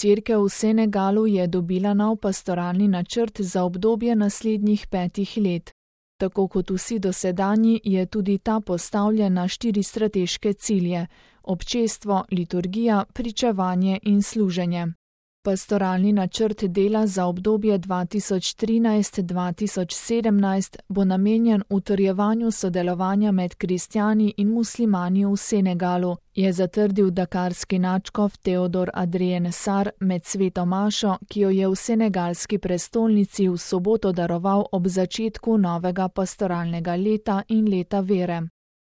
Cerkev v Senegalu je dobila nov pastoralni načrt za obdobje naslednjih 5 let. Tako kot vsi dosedanji je tudi ta postavljen na 4 strateške cilje: občestvo, liturgija, pričevanje in služenje. Pastoralni načrt dela za obdobje 2013-2017 bo namenjen utrjevanju sodelovanja med kristjani in muslimani v Senegalu, je zatrdil dakarski nadškof Teodor Adrien Sarr med sveto mašo, ki jo je v senegalski prestolnici v soboto daroval ob začetku novega pastoralnega leta in leta vere.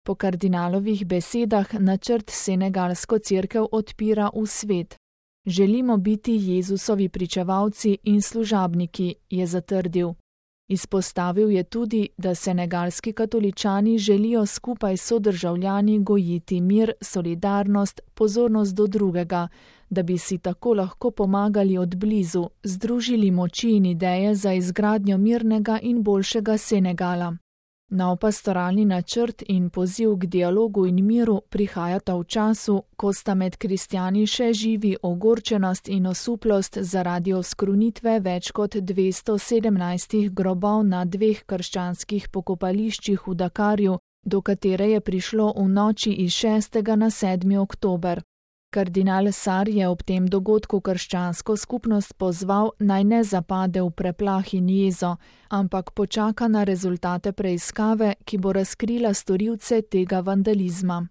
Po kardinalovih besedah načrt senegalsko cerkev odpira v svet. Želimo biti Jezusovi pričevalci in služabniki, je zatrdil. Izpostavil je tudi, da senegalski katoličani želijo skupaj s sodržavljani gojiti mir, solidarnost, pozornost do drugega, da bi si tako lahko pomagali od blizu, združili moči in ideje za izgradnjo mirnega in boljšega Senegala. Nov pastoralni načrt in poziv k dialogu in miru prihajata v času, ko sta med kristjani še živi ogorčenost in osuplost zaradi oskrunitve več kot 217 grobov na 2 krščanskih pokopališčih v Dakarju, do katere je prišlo v noči iz 6. na 7. oktober. Kardinal Sarr je ob tem dogodku krščansko skupnost pozval, naj ne zapade v preplah in jezo, ampak počaka na rezultate preiskave, ki bo razkrila storilce tega vandalizma.